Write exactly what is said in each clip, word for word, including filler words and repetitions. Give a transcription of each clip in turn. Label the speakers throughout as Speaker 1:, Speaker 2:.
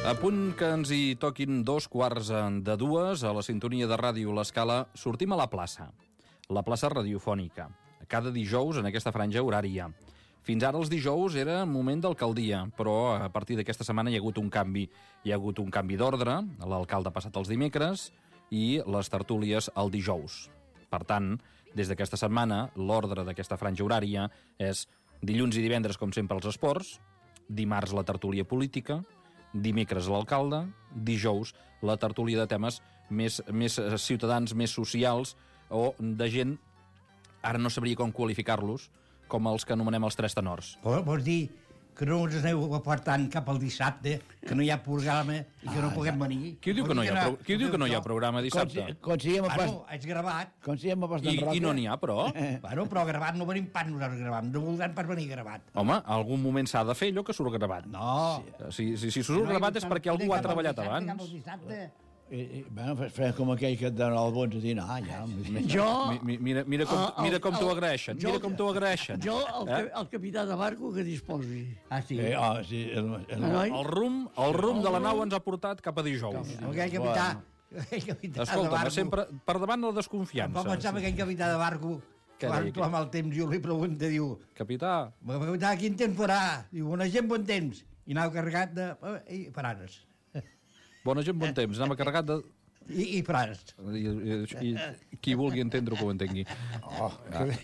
Speaker 1: A punt que ens hi toquin dos quarts de dues, a la sintonia de Ràdio L'Escala, sortim a la plaça. La plaça radiofònica. Cada dijous en aquesta franja horària. Fins ara els dijous era moment d'alcaldia, però a partir d'aquesta setmana hi ha hagut un canvi. Hi ha hagut un canvi d'ordre, l'alcalde ha passat els dimecres i les tertúlies el dijous. Per tant, des d'aquesta setmana, l'ordre d'aquesta franja horària és dilluns i divendres, com sempre, els esports, dimarts la tertúlia política, dimecres l'alcalde, dijous la tertúlia de temes més, més ciutadans, més socials, o de gent, ara no sabria com qualificar-los, com els que anomenem els tres tenors.
Speaker 2: Vols dir que no ens aneu apartant cap al dissabte, que no hi ha programa i que no puguem venir?
Speaker 1: Qui diu que no hi ha, pro... Qui diu que no hi ha programa dissabte?
Speaker 2: Bueno, és gravat.
Speaker 1: I, I no n'hi ha, però?
Speaker 2: Bueno, però gravat no venim pas nosaltres gravat, no voldran pas venir gravat.
Speaker 1: Home, algun moment s'ha de fer allò que surt gravat.
Speaker 2: No.
Speaker 1: Si, si, si surt gravat és perquè algú ha treballat abans.
Speaker 2: Cap al dissabte.
Speaker 3: I, i, bueno, farem com aquell que et dona el bons a dinar, ja.
Speaker 4: Jo...
Speaker 1: Mi, mira, mira com, mira com t'ho agraeixen, mira com t'ho agraeixen.
Speaker 4: Jo, el, eh? el capità de barco, que disposi.
Speaker 2: Ah, sí?
Speaker 3: Eh, oh, sí el, el,
Speaker 1: el, el, rum, el rum de la nau ens ha portat cap a dijous.
Speaker 2: Aquell capità...
Speaker 1: Escolta'm, sempre per davant la desconfiança.
Speaker 2: Em pensava que aquell capità de barco, que va reclamar el temps, jo li pregunta, diu...
Speaker 1: Capità...
Speaker 2: Capità, quin temps farà? Diu, bona gent, bon temps. I anava carregat de... I paranes.
Speaker 1: Bona gent, bon temps. Anava carregat de...
Speaker 2: I, i frares.
Speaker 1: I, i, i qui vulgui entendre que ho entengui.
Speaker 3: Oh,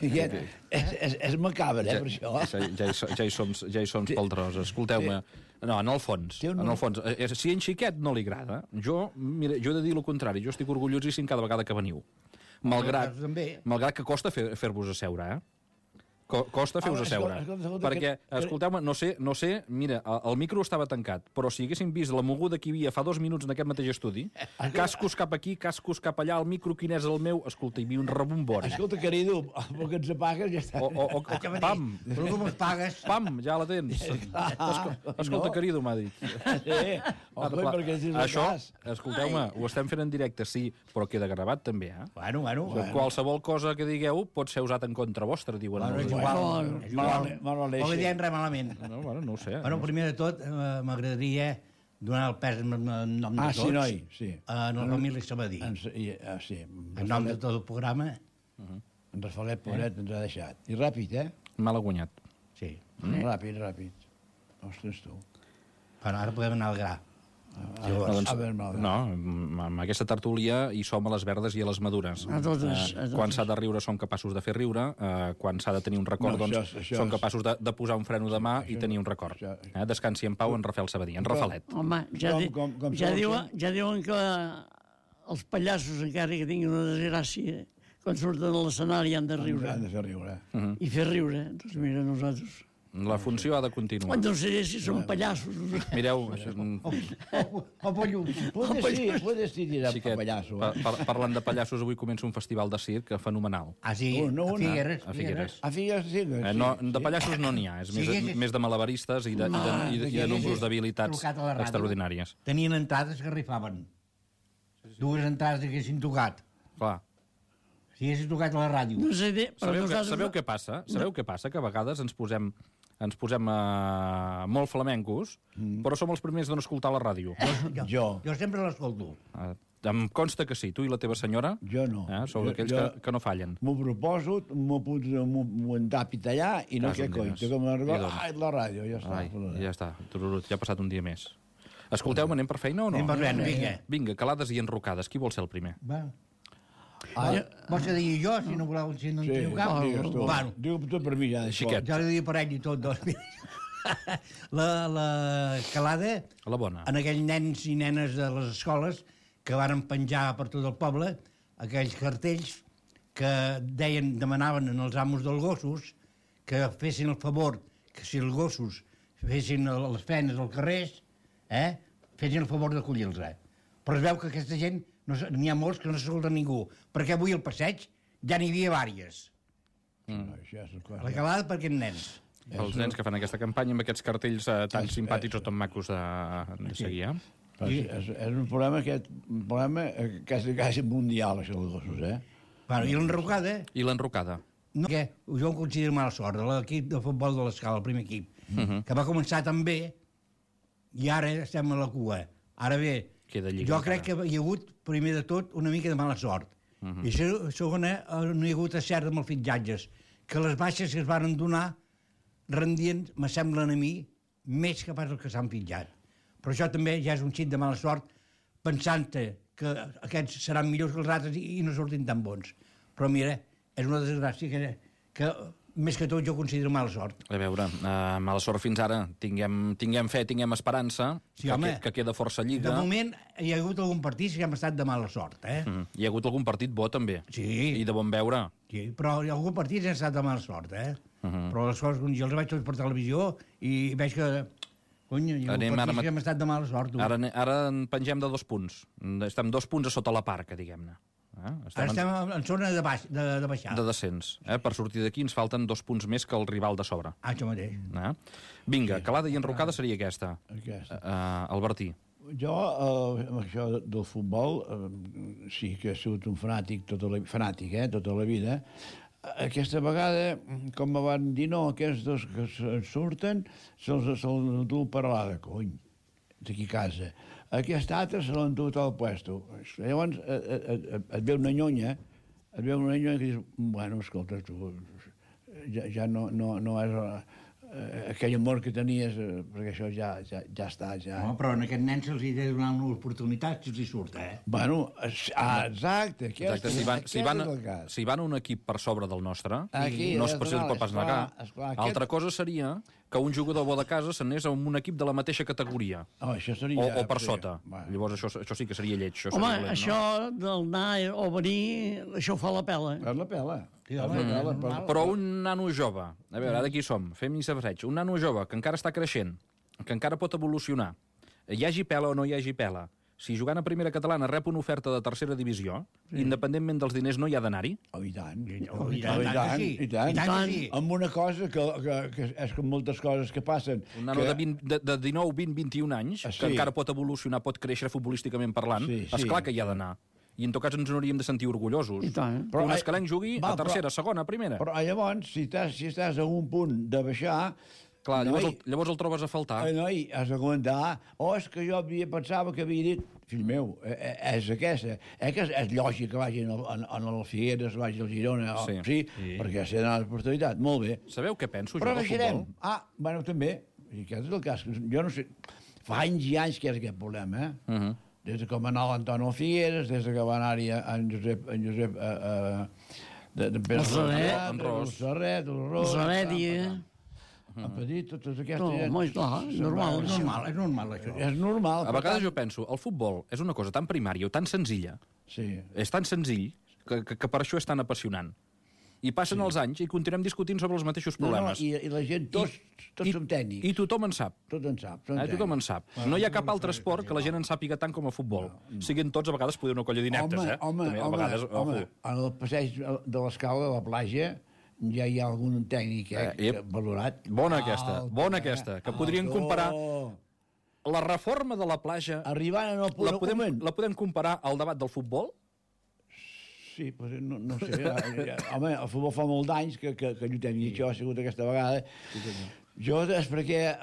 Speaker 3: ja, és, és, és macabre, eh, per això.
Speaker 1: Ja, ja, hi, ja, hi som, ja hi som pel tros. Escolteu-me. No, en el fons. En el fons. Si en Xiquet no li agrada, jo, mira, jo he de dir el contrari. Jo estic orgullosíssim cada vegada que veniu. Malgrat, malgrat que costa fer, fer-vos asseure, eh? Costa fer-vos asseure. Perquè, escolteu-me, no sé, no sé, mira, el micro estava tancat, però si haguéssim vist la moguda que hi havia fa dos minuts en aquest mateix estudi, cascos cap aquí, cascos cap allà, el micro quin és el meu, escolta, hi havia un rebombori.
Speaker 3: Escolta, querido, el que ens apagues ja està.
Speaker 1: O, o, o, pam,
Speaker 2: però com es pagues?
Speaker 1: Pam, ja la tens. Escolta, querido, m'ha dit.
Speaker 3: Sí, home, perquè és el
Speaker 1: això, escolteu-me, ho estem fent en directe, sí, però queda gravat també, eh?
Speaker 2: Bueno, bueno.
Speaker 1: Qualsevol cosa que digueu pot ser usat en contra vostra, diuen.
Speaker 2: Igual, igual. No li diem res malament.
Speaker 1: No, bueno, no ho sé.
Speaker 2: Bueno, primer de tot, eh, m'agradaria donar el pes en nom de
Speaker 3: ah,
Speaker 2: tots.
Speaker 3: Sí, noi, sí.
Speaker 2: En la família Sabadí.
Speaker 3: En, ah, sí.
Speaker 2: En nom de tot el programa.
Speaker 3: Uh-huh. En Rafalet Pobret eh? ens ha deixat. I ràpid, eh?
Speaker 1: Mal guanyat.
Speaker 2: Sí.
Speaker 3: Mm. Ràpid, ràpid. Ostres, tu.
Speaker 2: Però ara podem anar al gra.
Speaker 1: Ah, doncs, no, amb aquesta tertúlia hi som a les verdes i a les madures.
Speaker 4: A totes, a totes.
Speaker 1: Quan s'ha de riure som capaços de fer riure, eh, quan s'ha de tenir un record, no, doncs això, això som capaços de, de posar un freno de mà això, i tenir un record. Això, això. Eh, descansi en pau en Rafael Sabadí, en Rafalet.
Speaker 4: Home, ja, di, com, com, com ja, diuen, ja diuen que els pallassos, encara que tinguin una desgràcia, quan surten a l'escenari han de riure.
Speaker 3: Han de fer riure.
Speaker 4: Uh -huh. I fer riure. Doncs mira, nosaltres...
Speaker 1: La funció ha de continuar.
Speaker 4: No sé si són pallassos.
Speaker 1: Mireu...
Speaker 2: O pollus.
Speaker 3: Puedes dir dirà pallasso.
Speaker 1: Parlant de pallassos, avui comença un festival de circ fenomenal.
Speaker 2: Ah, sí? A Figueres.
Speaker 1: A Figueres.
Speaker 3: A Figueres, sí.
Speaker 1: De pallassos no n'hi ha, és més de malabaristes i de nombres d'habilitats extraordinàries.
Speaker 2: Tenien entrades que rifaven. Dues entrades que haguessin tocat.
Speaker 1: Clar.
Speaker 2: Si haguessin tocat a la ràdio.
Speaker 4: No sé,
Speaker 1: sabeu, que, sabeu què passa? Sabeu què passa? Que a vegades ens posem ens posem uh, molt flamencos, mm. però som els primers de no escoltar la ràdio.
Speaker 2: Jo, jo. jo sempre l'escolto.
Speaker 1: Uh, em consta que sí, tu i la teva senyora.
Speaker 3: Jo no.
Speaker 1: Eh, sou d'aquells que, que no fallen.
Speaker 3: M'ho proposo, m'ho m'ho entapit allà i no què coi. Que com arriba, ai, la ràdio, ja està.
Speaker 1: Ai, ja està, tururut, ja ha passat un dia més. Escolteu-me, anem per feina o no?
Speaker 2: Anem per feina, vinga.
Speaker 1: Vinga, calades i enrocades. Qui vol ser el primer?
Speaker 2: Va. Ah, vols que digui jo, si no voleu, si no en teniu cap?
Speaker 3: Digues tu. Bueno. Digue tot per mi, ja.
Speaker 1: Xiquet.
Speaker 2: Jo li dic per ell i tot, doncs. la, la calada...
Speaker 1: La bona.
Speaker 2: En aquells nens i nenes de les escoles que varen penjar per tot el poble aquells cartells que deien, demanaven als amos dels gossos que fessin el favor, que si els gossos fessin les feines als carrers, eh, fessin el favor d'acollir-los. Eh? Però es veu que aquesta gent n'hi ha molts que no s'escolta ningú, perquè avui al passeig ja n'hi havia vàries. Mm. La calada per aquests nens.
Speaker 1: Els nens que fan aquesta campanya amb aquests cartells eh, tan és, simpàtics és, o tan macos de, de seguir, eh?
Speaker 3: Sí. És, és un problema, aquest, un problema quasi, quasi mundial, això dels gossos, eh?
Speaker 2: Bueno, I l'enrocada?
Speaker 1: I l'enrocada?
Speaker 2: No, que jo ho considero mala sort, de l'equip de futbol de l'Escala, el primer equip, uh -huh. que va començar tan bé i ara estem a la cua. Ara bé, jo crec que hi ha hagut, primer de tot, una mica de mala sort. Uh -huh. I segona, no hi ha hagut acert amb els fitxatges, que les baixes que es van donar rendien, me semblen a mi, més que pas el que s'han fitxat. Però això també ja és un xic de mala sort, pensant-te que aquests seran millors que els altres i no sortin tan bons. Però mira, és una desgràcia que, que més que tot jo considero mala sort.
Speaker 1: A veure, uh, mala sort fins ara. Tinguem, tinguem fe, tinguem esperança,
Speaker 2: sí,
Speaker 1: que,
Speaker 2: home,
Speaker 1: que, que queda força lliga.
Speaker 2: De moment hi ha hagut algun partit que hem estat de mala sort, eh?
Speaker 1: Mm. Hi ha hagut algun partit bo, també.
Speaker 2: Sí.
Speaker 1: I de bon veure.
Speaker 2: Sí, però hi ha algun partit que hem estat de mala sort, eh? Uh -huh. Però les coses, jo els vaig tots per televisió i veig que... Cony, hi ha algun partit que hem estat de mala sort. Tu.
Speaker 1: Ara, ara en pengem de dos punts. Estem dos punts a sota la parca, diguem-ne.
Speaker 2: Eh? Estem Ara estem en, en zona de, baix, de, de baixada.
Speaker 1: De descens. Eh? Per sortir d'aquí ens falten dos punts més que el rival de sobre.
Speaker 2: Ah, això mateix.
Speaker 1: Eh? Vinga, sí. Calada i enrocada seria aquesta.
Speaker 3: Aquesta.
Speaker 1: Uh, Albertí.
Speaker 3: Jo, eh, amb això del futbol, eh, sí que he sigut un fanàtic, tota la, fanàtic, eh, tota la vida. Aquesta vegada, com me van dir, no, aquests dos que surten se'ls se endú per l'Ada, cony, d'aquí a casa. Aquest altre se l'endú al puesto. Llavors et ve una nyonya, et ve una nyonya que dius, bueno, escolta, tu, ja, ja no, no, no és uh, aquell amor que tenies, uh, perquè això ja, ja, ja està. Ja.
Speaker 2: No, però a aquest nen se'ls hi ha de donar una oportunitat si els hi surt, eh?
Speaker 3: Bueno, ah, exacte. Aquest,
Speaker 1: exacte. Si, van, si, van, si van un equip per sobre del nostre,
Speaker 3: aquí,
Speaker 1: no es pot pas negar.
Speaker 3: Esclar,
Speaker 1: aquest... Altra cosa seria que un jugador bo de casa s'anés a un equip de la mateixa categoria.
Speaker 3: Oh, això seria...
Speaker 1: O, o per sota. Bueno. Llavors això, això sí que seria lleig. Això
Speaker 4: home,
Speaker 1: dolent,
Speaker 4: això
Speaker 1: no?
Speaker 4: del anar o venir, això fa la pela.
Speaker 3: Fa la pela.
Speaker 2: Sí, home, mm.
Speaker 3: pela per...
Speaker 1: Però un nano jove, a veure, ara aquí som, fem-hi safareig, un nano jove que encara està creixent, que encara pot evolucionar, hi hagi pela o no hi hagi pela, si jugant a primera catalana rep una oferta de tercera divisió, sí. independentment dels diners no hi ha d'anar-hi?
Speaker 3: Oh, i tant.
Speaker 2: Oh, i tant, oh, i tant, sí. i tant. I tant, sí.
Speaker 3: Amb una cosa que, que, que és com moltes coses que passen.
Speaker 1: Un nano que... de, vint, de, de dinou, vint, vint-i-un anys, ah, sí. que encara pot evolucionar, pot créixer futbolísticament parlant, sí, sí. Esclar que hi ha d'anar. I en tot cas ens hauríem de sentir orgullosos.
Speaker 4: I tant.
Speaker 1: Però un escalenc jugui va, a tercera, però, segona, primera.
Speaker 3: Però llavors, si estàs, si estàs a un punt de baixar...
Speaker 1: Clar, llavors, el, llavors el trobes a faltar.
Speaker 3: Ai, noi, has de comentar, oh, és que jo havia, pensava que havia dit... Fill meu, és aquesta. Eh, que és, és lògic que vagin en, en el Figueres, vagi al Girona, sí, sí, sí. perquè s'ha d'anar l'oportunitat. Molt bé.
Speaker 1: Sabeu què penso
Speaker 3: però
Speaker 1: jo del futbol?
Speaker 3: Ah, bueno, també. I aquest és el cas. Jo no sé... Fa anys i anys que és aquest problema, eh? Uh -huh. Des de que va anar l'Antonio Figueres, des de que va anar-hi en Josep... En Josep eh, eh, de, de
Speaker 4: el Serret,
Speaker 3: el Serret, el Ros...
Speaker 4: El Serret, i...
Speaker 3: Ha petit, totes aquestes...
Speaker 4: No, home, clar, és normal.
Speaker 2: És normal, és normal, això.
Speaker 3: És normal.
Speaker 1: A vegades jo penso, el futbol és una cosa tan primària o tan senzilla,
Speaker 3: sí.
Speaker 1: és tan senzill, que, que, que per això és tan apassionant. I passen sí. els anys i continuem discutint sobre els mateixos problemes.
Speaker 3: No, no, i, i la gent, tots, tots
Speaker 1: I,
Speaker 3: som tècnics.
Speaker 1: I tothom en sap.
Speaker 3: Tot en sap.
Speaker 1: Eh, tothom en sap. Bueno, no hi ha cap altre esport que la gent en sàpiga tant com a futbol. No, no. Siguin tots, a vegades, poder una colla d'ineptes,
Speaker 3: home,
Speaker 1: eh?
Speaker 3: Home,
Speaker 1: També, a
Speaker 3: home,
Speaker 1: vegades,
Speaker 3: home, en el passeig de l'escala de la platja ja hi ha algun tècnic eh, eh, valorat.
Speaker 1: Bona aquesta, ah, bona aquesta, que podrien comparar la reforma de la platja...
Speaker 3: Arribant en el punt
Speaker 1: la podem, la podem comparar al debat del futbol?
Speaker 3: Sí, pues no, no sé. Home, el futbol fa molt d'anys que, que, que lluitem, i això ha sigut aquesta vegada. Jo és perquè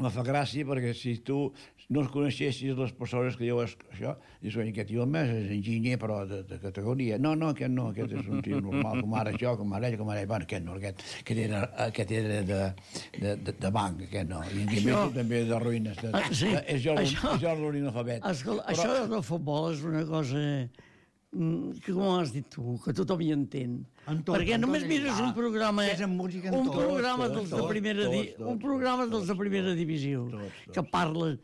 Speaker 3: me fa gràcia, perquè si tu no coneixessis les persones que diuen això, dius, aquest tio més és enginyer, però de, de categoria. No, no, aquest no, aquest és un tio normal, com ara jo, com ara ell, com ara ell. Bueno, aquest no, aquest, aquest era, aquest era de, de, de, de banc, aquest no. I això... també de ruïnes. De,
Speaker 4: ah, sí,
Speaker 3: de, és jo l'orinalfabet.
Speaker 4: Escolta, però... això del futbol és una cosa... que com has dit tu, que tothom hi entén. Tot, perquè només mires un programa un programa dels de primera un programa dels de primera divisió que parla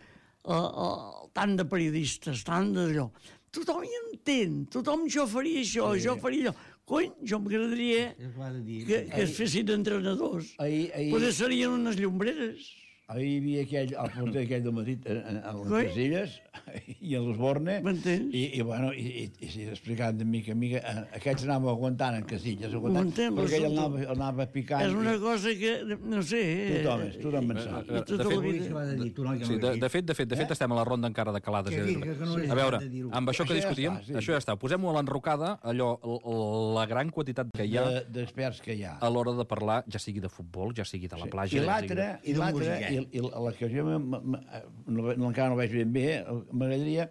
Speaker 4: tant de periodistes, tant d'allò, tothom hi entén, tothom jo faria això, jo faria allò. Cony, jo m'agradaria que, que es fessin entrenadors, potser serien unes llombreres.
Speaker 3: Ahir hi havia aquell, el porter aquell del Madrid, a les Casilles, i a l'Osborne, i, i, bueno, i, i, i explicant de mica en mica, aquests anaven aguantant en Casilles, aguantant, perquè ell anava, anava picant.
Speaker 4: És una cosa que, no sé...
Speaker 3: Tothom és, tothom en sap.
Speaker 1: De fet, de fet, de fet, estem a la ronda encara de calades. A veure, amb això que discutíem, això ja està, posem-ho a l'enrocada, allò, la gran quantitat que hi ha...
Speaker 3: D'experts que hi ha.
Speaker 1: A l'hora de parlar, ja sigui de futbol, ja sigui de la platja...
Speaker 3: I l'altre, i l'altre, I, i la que jo encara no veig ben bé, m'agradaria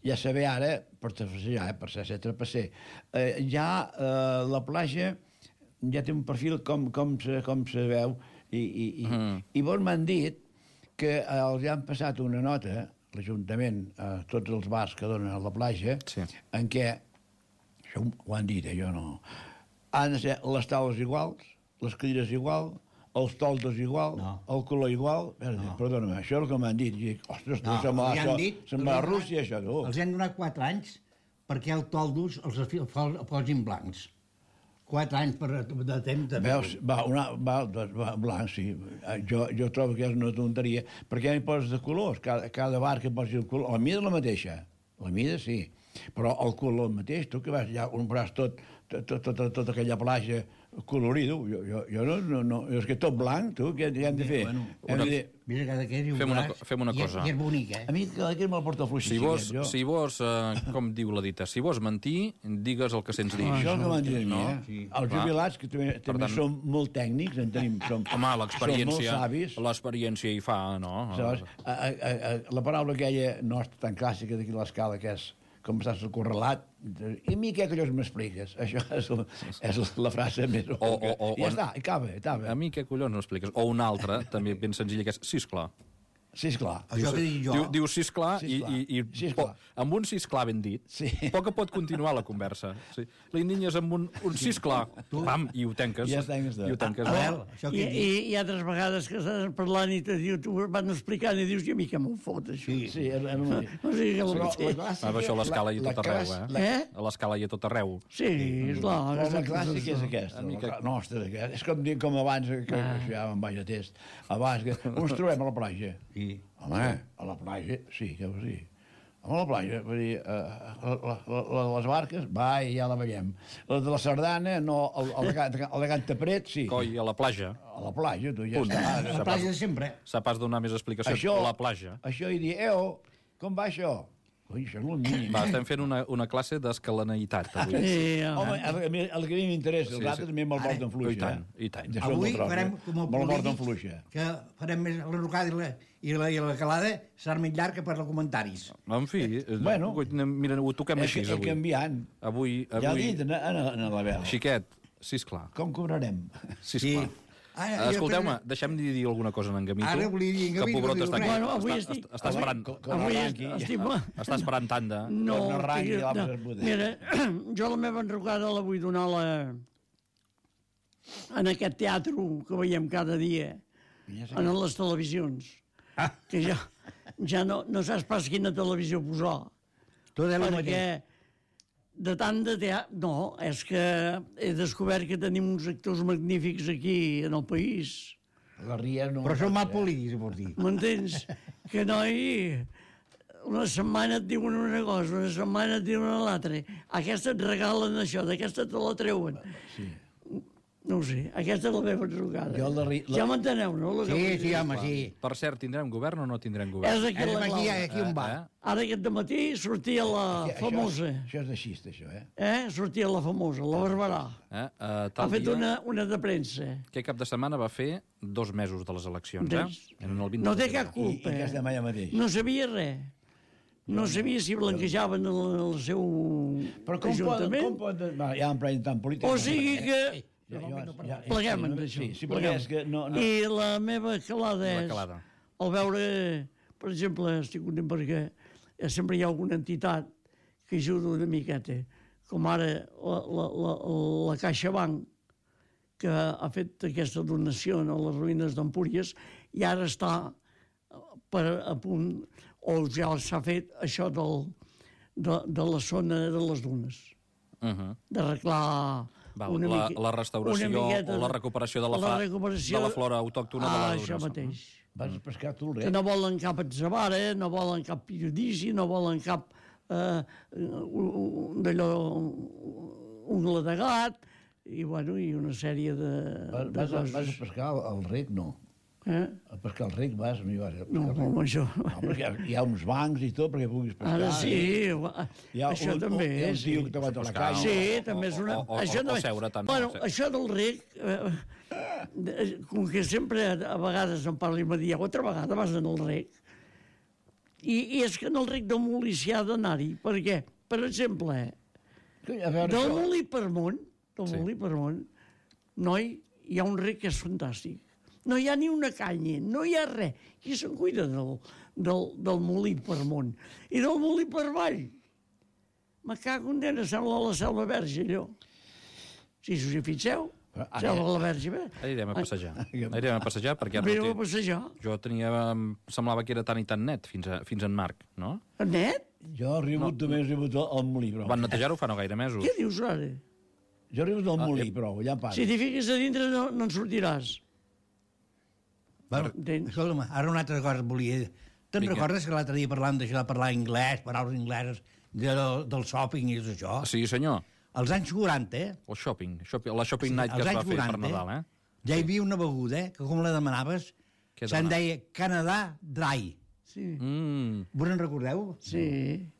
Speaker 3: ja saber ara, per trapassejar, per ser trapasser, ja la platja ja té un perfil com, com, se, com se veu, i, i, i, mm. i vos m'han dit que els han passat una nota, l'Ajuntament, a tots els bars que donen a la platja, sí. en què, això ho han dit, eh, jo no, han de ser les taules iguals, les cadires igual, els toldos igual, no. el color igual... No. Perdona-me, això és el que m'han dit. I, ostres, no, se'n va, això, dit, se'n va a Rússia, això. Tu.
Speaker 2: Els han donat quatre anys perquè els toldos els posin blancs. Quatre anys per, de temps de...
Speaker 3: Veus, va, una, va, va, blanc, sí. Jo, jo trobo que és una tonteria. Per què n'hi poses de colors? Cada, cada bar que posi el color... La mida és la mateixa. La mida, sí. Però el color el mateix. Tu que vas ja compraràs tot, tot, tot, tot, tota aquella platja colorido. Jo, jo, jo no, no, no... És que tot blanc, tu, què, què hem de fer?
Speaker 2: Bueno,
Speaker 3: hem
Speaker 2: una,
Speaker 3: de...
Speaker 2: Mira, cada que és un
Speaker 1: fem una,
Speaker 2: braç,
Speaker 1: fem una cosa.
Speaker 2: I és bonic, eh?
Speaker 3: A mi cada que me'l porta fluixi.
Speaker 1: Si vos, si vos eh, com diu la dita, si vos mentir, digues el que sents dir.
Speaker 3: Ah, això és el que m'han dit a mi,
Speaker 1: no?
Speaker 3: eh? Sí. Els jubilats, que també, també tant... som molt tècnics, en tenim, som,
Speaker 1: home, l'experiència,
Speaker 3: som molt savis.
Speaker 1: L'experiència hi fa, no?
Speaker 3: Saps? A, a, a, la paraula aquella nostra tan clàssica d'aquí a l'escala, que és com estàs correlat, i a mi què collons m'expliques? Això és, és la frase més... O, o, o, I ja està, i acaba, acaba.
Speaker 1: A mi què collons m'expliques? O una altra, també ben senzilla, que és sí, esclar.
Speaker 3: Sí, esclar.
Speaker 2: Això que dic jo...
Speaker 1: Diu, diu sí, esclar, i, i, i
Speaker 3: sí,
Speaker 1: po, amb un sí, esclar ben dit, sí. poc pot continuar la conversa. Sí. L'indinyes amb un, un sí, esclar, pam, i ho tanques.
Speaker 3: I ja tanques.
Speaker 1: I ho tanques.
Speaker 2: A, a això
Speaker 4: I, i, I altres vegades que estàs parlant i te diu, tu van explicant i dius, i a mi què m'ho fot, això?
Speaker 3: Sí, sí, és el mateix.
Speaker 4: O sigui que
Speaker 3: Però
Speaker 4: la
Speaker 1: clàssica... Ah, això a l'escala i a tot arreu, eh?
Speaker 4: La... eh?
Speaker 1: A l'escala i a tot arreu.
Speaker 4: Sí, és clar.
Speaker 3: Però la clàssica és aquesta.
Speaker 1: Mica...
Speaker 3: La nostra, és com, com abans, que ah. ja me'n vaig a test, abans que ens trobem a la platja. Sí. Home, a la platja, sí, que sí. A la platja, vull dir, uh, la, la, la, les barques, va, i ja la veiem. La de la sardana, no, el, el, el, el de Cantapret, sí.
Speaker 1: Coi, a la platja.
Speaker 3: A la platja, tu ja
Speaker 1: Punt.
Speaker 3: està.
Speaker 2: A la platja de sempre.
Speaker 1: S'ha pas donar més explicacions.
Speaker 3: Això,
Speaker 1: a la platja.
Speaker 3: Això i dir, eo, com va això? Ui, això és molt mínim.
Speaker 1: Va, estem fent una, una classe d'escalaneïtat, avui.
Speaker 4: Sí,
Speaker 3: home, el, el, el que a mi m'interessa, els sí, altres també me'l porten fluixa.
Speaker 1: I tant, i tant.
Speaker 2: Avui farem com el
Speaker 3: polític,
Speaker 2: que farem més la rocada i la, i la, i la calada serà més llarga per als comentaris.
Speaker 1: En fi,
Speaker 3: bueno,
Speaker 1: mira, ho toquem així,
Speaker 3: avui. És
Speaker 1: canviant. Avui, avui...
Speaker 3: Ja he dit, en, en, en la vela.
Speaker 1: Xiquet, sisplau.
Speaker 3: Com cobrarem?
Speaker 1: Sisplau. Sí. Ah, escolteu-me, deixem-me dir alguna cosa en Gamito.
Speaker 2: Ara volia dir en Gamito.
Speaker 1: Que Pobrot està aquí.
Speaker 4: Bueno, avui
Speaker 1: està,
Speaker 4: estic...
Speaker 1: està esperant.
Speaker 4: Avui estic...
Speaker 1: Està esperant tanda.
Speaker 4: No, no, mira, jo la meva enrocada la vull donar la... en aquest teatre que veiem cada dia, en les televisions, que ja, ja no, no saps pas quina televisió posar. Perquè de tant de teatre... No, és que he descobert que tenim uns actors magnífics aquí, en el país.
Speaker 3: La Ria no...
Speaker 2: Però són mal polítics, vols dir.
Speaker 4: M'entens? Que noi... Una setmana et diuen una cosa, una setmana et diuen l'altra. Aquesta et regalen això, d'aquesta te la treuen. Sí. No ho sé, aquesta és la meva trucada. Jo la ri... Ja m'enteneu, no? La
Speaker 2: sí, sí, home, sí.
Speaker 1: Per cert, tindrem govern o no tindrem govern?
Speaker 4: És aquí la clau.
Speaker 2: Aquí on va.
Speaker 4: Eh? Ara aquest dematí sortia la
Speaker 3: això,
Speaker 4: famosa.
Speaker 3: Això, això és de xista, això, eh?
Speaker 4: Eh? Sortia la famosa, la Barberà.
Speaker 1: Eh? Uh,
Speaker 4: ha fet dia... una, una de premsa.
Speaker 1: Que cap de setmana va fer dos mesos de les eleccions, eh?
Speaker 4: En el no té cap culpa.
Speaker 3: I, i que allà mateix.
Speaker 4: No sabia res. No sabia si blanquejaven el, el seu
Speaker 3: Però com
Speaker 4: ajuntament.
Speaker 3: Pot, com pot... Ja en prenc tant polític.
Speaker 4: O sigui que...
Speaker 3: Ja, ja, ja,
Speaker 4: pleguem en això.
Speaker 3: Sí, sí, pleguem. Que no, no.
Speaker 4: I la meva calada és,
Speaker 1: calada.
Speaker 4: al veure, per exemple, estic content perquè sempre hi ha alguna entitat que ajuda una miqueta, com ara la, la, la, la CaixaBank, que ha fet aquesta donació a les ruïnes d'Empúries, i ara està per a punt, o ja s'ha fet això del, de, de la zona de les dunes,
Speaker 1: uh -huh.
Speaker 4: d'arreglar...
Speaker 1: Val, la, la restauració o la recuperació de la, fa, recuperació... de la flora autòctona ah, de la Duna.
Speaker 4: Això mateix.
Speaker 3: Vas pescar tu, res.
Speaker 4: Que no volen cap atzavara, no volen cap periodici, no volen cap eh, d'allò, ungla de gat, i, bueno, i una sèrie de,
Speaker 3: vas,
Speaker 4: de
Speaker 3: vas,
Speaker 4: coses.
Speaker 3: Vas a pescar al rec, no?
Speaker 4: Eh?
Speaker 3: A pescar el ric vas? No, hi vas,
Speaker 4: no, home, això...
Speaker 3: No, perquè hi ha uns bancs i tot perquè puguis pescar.
Speaker 4: Ara sí,
Speaker 3: eh?
Speaker 4: això
Speaker 3: un,
Speaker 4: també.
Speaker 3: Hi ha un
Speaker 4: sí.
Speaker 3: tio que te va a la canya.
Speaker 4: Sí, també és una...
Speaker 1: O, o,
Speaker 4: això
Speaker 1: o,
Speaker 4: també...
Speaker 1: o seure tant.
Speaker 4: Bueno,
Speaker 1: no,
Speaker 4: això del rec, eh, com que sempre a vegades em parla i me diu, altra vegada vas anar al rec. I, I és que en el rec del Molí s'hi ha d'anar-hi. Per què? Per exemple, del Molí per Mont, del Molí per Mont, noi, hi ha un rec que és fantàstic. No hi ha ni una canya, no hi ha res. Qui se'n cuida del, del, del Molí per Mont? I del Molí per Vall? Me cago en dena, sembla la Selva Verge, allò. Si us hi fixeu, sembla la Verge.
Speaker 1: Anirem a passejar. Anirem a passejar perquè...
Speaker 4: Anirem a passejar.
Speaker 1: Jo tenia... Semblava que era tan i tan net fins, a, fins en Marc, no?
Speaker 4: Net?
Speaker 3: Jo he rebut, no. també he rebut el, el Molí, però...
Speaker 1: Van netejar-ho fa no gaire mesos.
Speaker 4: Què dius ara?
Speaker 3: Jo he rebut el
Speaker 1: Ah,
Speaker 3: Molí,
Speaker 1: eh.
Speaker 3: però allà passa.
Speaker 4: Si t'hi fiques a dintre no, no en sortiràs.
Speaker 2: Bueno, escolta'm, ara una altra cosa volia dir. Te'n recordes que l'altre dia parlàvem d'això de parlar anglès, paraules angleses, de, del shopping i tot això?
Speaker 1: Sí, senyor.
Speaker 2: Als anys quaranta, eh?
Speaker 1: El shopping. shopping la shopping night que es va fer per Nadal, eh?
Speaker 2: Ja hi havia una beguda, eh, que com la demanaves, se'n deia Canadà Dry.
Speaker 4: Sí.
Speaker 1: Mm.
Speaker 2: Vos en recordeu?
Speaker 4: Sí.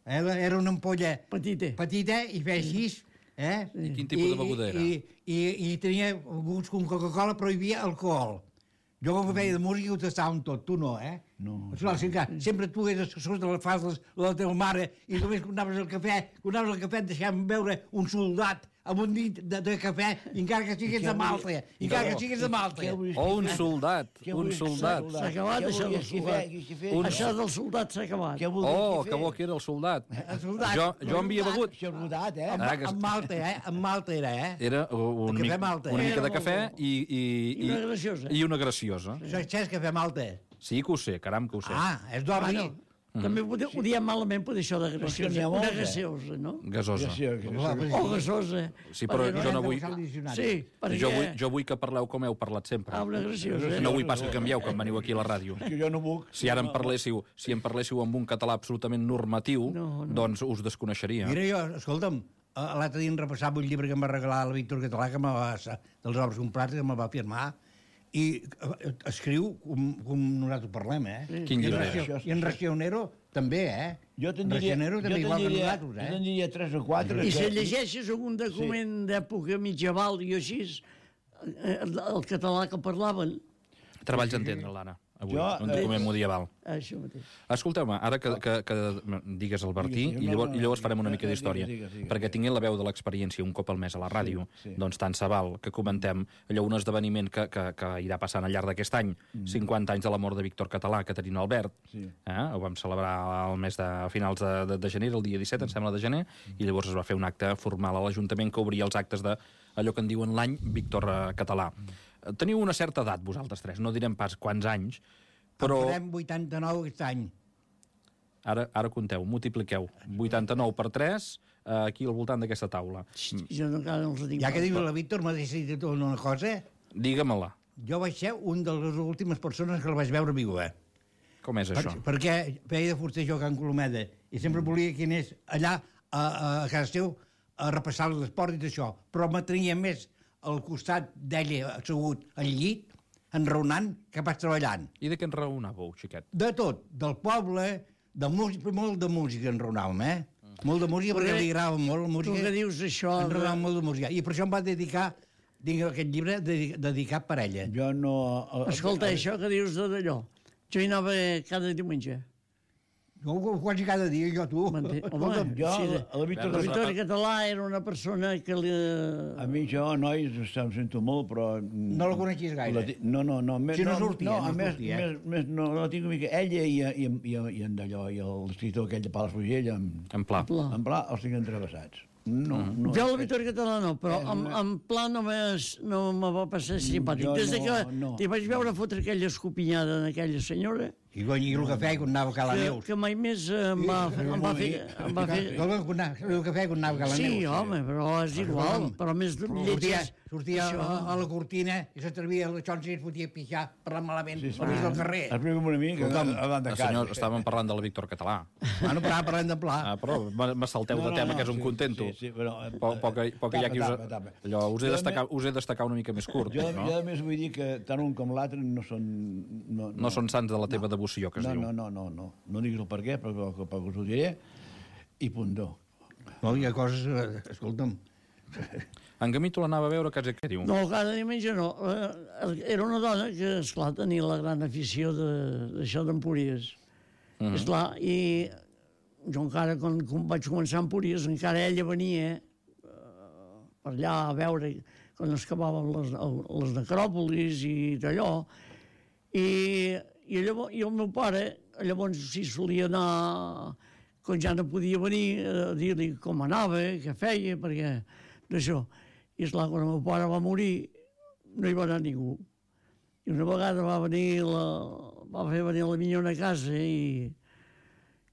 Speaker 2: Eh, era una ampolla
Speaker 4: petita,
Speaker 2: petita i feia així. Eh?
Speaker 1: I quin tipus de beguda era?
Speaker 2: I, i, i tenia gusts com Coca-Cola, però hi havia alcohol. Jo quan feia de música ho tastàvem tot, tu no, eh?
Speaker 3: No.
Speaker 2: Esclar, sí que sempre tu eres sota les faldes de la teva mare i només quan anaves al cafè, quan anaves al cafè et deixàvem veure un soldat amb un dit de, de cafè, encara que siguis de Malta, encara que siguis de Malta.
Speaker 1: O un soldat, un soldat.
Speaker 4: S'ha acabat això del soldat. Això del soldat s'ha acabat.
Speaker 1: Oh, que bo que era el soldat.
Speaker 2: El soldat.
Speaker 1: Jo, jo havia begut.
Speaker 3: Soldat, eh?
Speaker 2: Amb Malta, eh? Amb Malta era, eh?
Speaker 1: Era una, mica, una mica de cafè i, i,
Speaker 4: i, una graciosa.
Speaker 1: I una graciosa.
Speaker 2: Això és cafè Malta.
Speaker 1: Sí que ho sé, caram que ho sé.
Speaker 2: Ah, és d'orri.
Speaker 4: Bueno, mm. També ho, ho diem malament per això de graciosa. Una graciosa, no?
Speaker 1: Gasosa.
Speaker 4: O gasosa.
Speaker 1: Sí, però jo no vull...
Speaker 4: Sí, perquè...
Speaker 1: Jo vull, jo vull que parleu com heu parlat sempre.
Speaker 4: Ah, una graciosa.
Speaker 1: No vull pas que canvieu quan veniu aquí a la ràdio.
Speaker 3: Que jo no puc.
Speaker 1: Si ara em parléssiu, si em parléssiu amb un català absolutament normatiu, no, no. doncs us desconeixeria.
Speaker 2: Mira, jo, escolta'm, l'altre dia em repassava un llibre que em va regalar el Víctor Català, que me va, dels obres comprats, que me va firmar, i escriu com, com nosaltres parlem, eh?
Speaker 1: Quin llibre
Speaker 2: és? I en Racionero també, eh?
Speaker 3: Jo te'n diria,
Speaker 2: Racionero també igual que nosaltres, eh?
Speaker 3: Jo te'n diria tres o quatre.
Speaker 4: I si llegeixes algun document sí. d'època mitjaval i així, el, el català que parlaven...
Speaker 1: Treballs a entendre, l'Anna, avui,
Speaker 3: jo,
Speaker 1: un document
Speaker 4: eh,
Speaker 1: medieval.
Speaker 4: Això mateix.
Speaker 1: Escolteu-me, ara que, que, que digues el Bertí, sí, sí, i, llavors, no, no, i llavors farem una mica d'història, perquè tinguin la veu de l'experiència un cop al mes a la ràdio, sí, sí. doncs tant se val que comentem allò un esdeveniment que, que, que irà passant al llarg d'aquest any, mm. cinquanta anys de la mort de Víctor Català, Caterina Albert, sí. eh? Ho vam celebrar al mes de a finals de, de, de gener, el dia disset, em sembla, de gener, mm. i llavors es va fer un acte formal a l'Ajuntament que obria els actes de allò que en diuen l'any Víctor Català. Mm. Teniu una certa edat, vosaltres tres, no direm pas quants anys, però...
Speaker 2: En farem vuitanta-nou aquest any.
Speaker 1: Ara, ara compteu, multipliqueu. vuitanta-nou per tres, eh, aquí al voltant d'aquesta taula.
Speaker 4: Jo no, no els dic.
Speaker 2: Ja que diu la Víctor, m'ha decidit una cosa.
Speaker 1: Digue-me-la.
Speaker 2: Jo vaig ser un de les últimes persones que la vaig veure viva.
Speaker 1: Com és
Speaker 2: per,
Speaker 1: això?
Speaker 2: Perquè feia de fuster jo a Can Colomeda i sempre volia que anés allà a, a casa seu a repassar l'esport i d'això. Però m'atrenia més al costat d'ella assegut al llit, enraonant, que pas treballant.
Speaker 1: I de què enraonàveu, xiquet?
Speaker 2: De tot, del poble, de música, molt de música enraonàvem, eh? Mm. Molt de música, perquè li agradava molt la música.
Speaker 4: Tu que dius això...
Speaker 2: Enraonàvem molt de música. I per això em va dedicar, tinc aquest llibre, dedicat per ella.
Speaker 3: Jo no...
Speaker 4: Escolta, això que dius d'allò, jo hi anava cada diumenge.
Speaker 2: Jo quasi cada dia, jo, tu.
Speaker 4: Home,
Speaker 3: jo,
Speaker 4: sí,
Speaker 3: de, la Víctor
Speaker 4: la Víctor Català era una persona que li...
Speaker 3: A mi jo, nois, em sento molt, però...
Speaker 2: No la coneixies gaire?
Speaker 3: La, no, no, no. Més,
Speaker 2: si no sortia,
Speaker 3: no,
Speaker 2: no,
Speaker 3: més,
Speaker 2: sortia.
Speaker 3: Més, més, no, no la tinc una mica. Ella i, i, i, i en d'allò, i l'escriptor aquell de Palafrugell, en,
Speaker 1: en Pla.
Speaker 3: En Pla, els tinc entrevessats. No,
Speaker 4: uh-huh.
Speaker 3: no,
Speaker 4: jo la Víctor Català no, però en, en Pla no, no me va passar simpàtic. Des de que no. T'hi vaig veure fotre aquella escopinyada en aquella senyora,
Speaker 2: I guanyia el cafè quan anava a Cala Neus.
Speaker 4: Que mai més em va fer... El
Speaker 2: cafè quan anava a Cala Neus.
Speaker 4: Sí, home, però és igual. Però més lletges...
Speaker 2: Sortia a la cortina i s'atrevia a l'Xonsi i es fotia a pixar parlant malament al mig del carrer.
Speaker 3: Explica una mica davant de casa.
Speaker 1: Senyor, estàvem parlant del Víctor Català.
Speaker 2: Bueno, però parlant de pla.
Speaker 1: Ah, però me salteu de tema, que és un contento.
Speaker 3: Sí, sí, però...
Speaker 1: Poc hi ha qui us... Allò, us he destacat una mica més curt, no?
Speaker 3: Jo, a més, vull dir que tant un com l'altre no són...
Speaker 1: No són sants de la teva devoció, que es diu.
Speaker 3: No, no, no, no. No diguis el per què, però us ho diré, i punt do.
Speaker 2: No, hi ha coses... Escolta'm...
Speaker 1: En Gamito l'anava a veure, quasi què diu?
Speaker 4: No, cada diumenge no. Era una dona que, esclar, tenia la gran afició d'això d'Empúries. Mm -hmm. Esclar, i jo encara, quan, quan vaig començar a Empúries, encara ella venia uh, per allà a veure quan es acabaven les, les necròpolis i d'allò. I, i, llavors, I el meu pare, llavors, sí, solia anar, quan ja no podia venir, a dir-li com anava, què feia, perquè d'això. I, esclar, quan el meu pare va morir, no hi va anar ningú. I una vegada va venir la, va fer venir la minyona a casa i,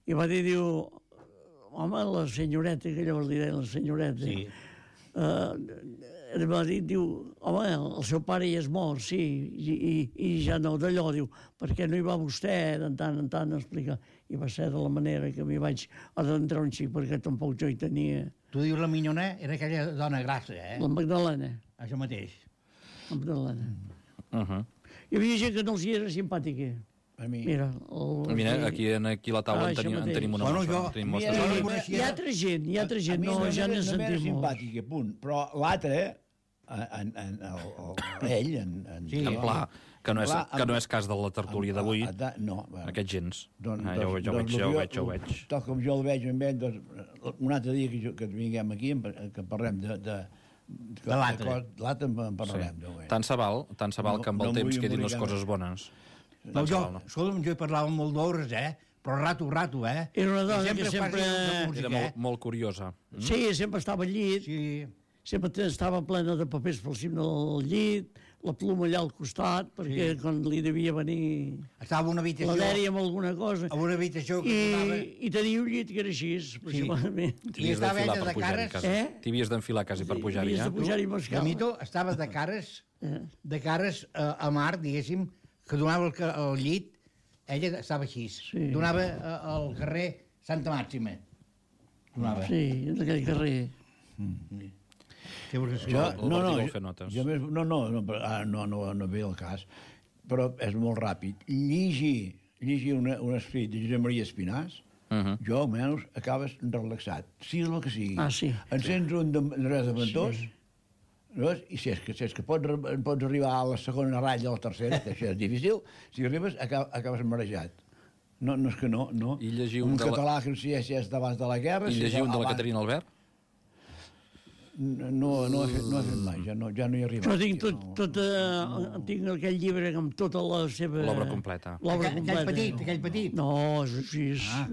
Speaker 4: i va dir, diu, home, la senyoreta, que llavors li deien la senyoreta, sí. uh, va dir, diu, home, el seu pare ja és mort, sí, i, i, i ja no d'allò, diu, per què no hi va vostè de tant en tant a explicar? I va ser de la manera que m'hi vaig adentrar un xic, perquè tampoc jo hi tenia...
Speaker 2: Tu dius la minyona, era aquella dona grassa, eh?
Speaker 4: La Magdalena.
Speaker 2: Això mateix.
Speaker 4: La Magdalena.
Speaker 1: Uh -huh.
Speaker 4: Hi havia gent que no els hi era simpàtica.
Speaker 3: A mi.
Speaker 4: Mira, el...
Speaker 1: Mira, aquí, aquí a la taula ah, en, tenim, en tenim una
Speaker 2: bueno,
Speaker 1: mostra.
Speaker 2: Jo,
Speaker 1: tenim
Speaker 2: mostra.
Speaker 4: Hi, hi ha altra gent, hi ha altra gent, no, ja n'he sentit
Speaker 3: molt. Simpàtica, punt. Però l'altre, en, en, el, ell, en, en,
Speaker 1: sí, en Pla, que no, és, que no és cas de la tertúlia d'avui,
Speaker 3: no, bueno,
Speaker 1: aquest gens.
Speaker 3: Doncs,
Speaker 1: ah, jo,
Speaker 3: doncs,
Speaker 1: jo,
Speaker 3: doncs,
Speaker 1: veig, jo,
Speaker 3: jo,
Speaker 1: veig, jo veig.
Speaker 3: Tal com jo el veig amb ell, doncs, un altre dia que, jo, que vinguem aquí, que parlem de... de
Speaker 2: de l'altre.
Speaker 3: L'altre en parlarem.
Speaker 1: Sí. Tant se val, tant se val no, que amb el no temps quedin les coses bones.
Speaker 2: No, jo, no. Escolta'm, jo hi parlava molt d'hores, eh? Però rato, rato, eh?
Speaker 4: Era una dona sempre que sempre...
Speaker 1: Música, era molt, eh? molt curiosa.
Speaker 4: Mm? Sí, sempre estava al llit.
Speaker 2: Sí.
Speaker 4: Sempre estava plena de papers pel cim del llit, la pluma allà al costat, perquè sí. Quan li devia venir...
Speaker 2: Estava en una habitació...
Speaker 4: La dèria amb alguna cosa.
Speaker 2: En una habitació que
Speaker 4: I,
Speaker 2: donava...
Speaker 4: I tenia un llit que era així, aproximadament.
Speaker 2: Sí. I estava ella de cares...
Speaker 1: Eh? T'hi havies d'enfilar quasi per pujar-hi, eh?
Speaker 4: T'hi havies de pujar-hi amb escala.
Speaker 2: Gamito estava de cares, de cares a, a mar, diguéssim, que donava el, el llit, ella estava així. Sí. Donava al carrer Santa Màxima. Donava.
Speaker 4: Sí, en aquell carrer.
Speaker 2: Mm.
Speaker 1: Jo, no, no, jo,
Speaker 3: jo més, no, no, no, no, no, no ve el cas, però és molt ràpid. Llegir, llegir una, un escrit de Josep Maria Espinàs, uh -huh. jo almenys acabes relaxat, sigui el que sigui.
Speaker 4: Ah, sí.
Speaker 3: Encens un de, de res de ventós, sí. Veus? I si és que, si és que pots, pots arribar a la segona ratlla o a la tercera, que això és difícil, si arribes acabes, acabes marejat. No, no és que no, no.
Speaker 1: I llegir
Speaker 3: un,
Speaker 1: un
Speaker 3: català la... que no sé si és d'abans de la guerra...
Speaker 1: I
Speaker 3: si
Speaker 1: llegir un de la
Speaker 3: abans...
Speaker 1: Caterina Albert?
Speaker 3: No, no, he fet, no he fet mai, ja no, ja no hi he arribat.
Speaker 4: Jo tinc, tot, tot, uh, no. tinc aquell llibre amb tota la seva...
Speaker 1: L'obra completa.
Speaker 4: L'obra completa.
Speaker 2: Aquell petit, aquell petit.
Speaker 4: No, és així. Ah.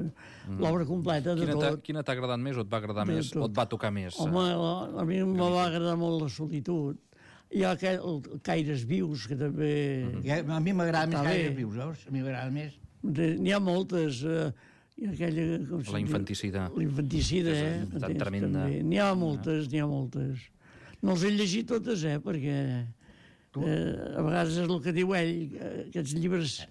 Speaker 4: L'obra completa de
Speaker 1: quina
Speaker 4: tot.
Speaker 1: Quina t'ha agradat més o et va agradar de més? Tot. O et va tocar més?
Speaker 4: Home, la, a mi em va agradar molt la solitud. Hi ha aquell, el Caires vius, que també...
Speaker 2: Mm -hmm. A mi m'agrada més Caires vius, veus? A mi m'agrada més.
Speaker 4: N'hi ha moltes... Uh, I aquella,
Speaker 1: la infanticida.
Speaker 4: La infanticida, eh?
Speaker 1: Tan tremenda.
Speaker 4: N'hi ha moltes, n'hi ha moltes. No els he llegit totes, eh? Perquè eh, a vegades és el que diu ell, aquests llibres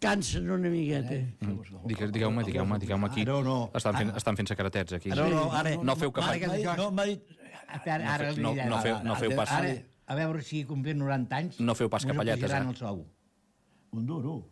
Speaker 4: cansen una miqueta.
Speaker 1: Mm. Digueu-me, digueu-me, digueu-me aquí.
Speaker 2: No, no.
Speaker 1: Estan fent, estan fent secretets, aquí.
Speaker 2: No, no, ara...
Speaker 1: No feu cap...
Speaker 3: No, m'ha dit...
Speaker 2: Ara,
Speaker 1: no, no, feu, no feu pas...
Speaker 2: Ara, a veure si complim noranta anys...
Speaker 1: No feu pas capelletes, eh?
Speaker 2: El sou.
Speaker 3: Un duro.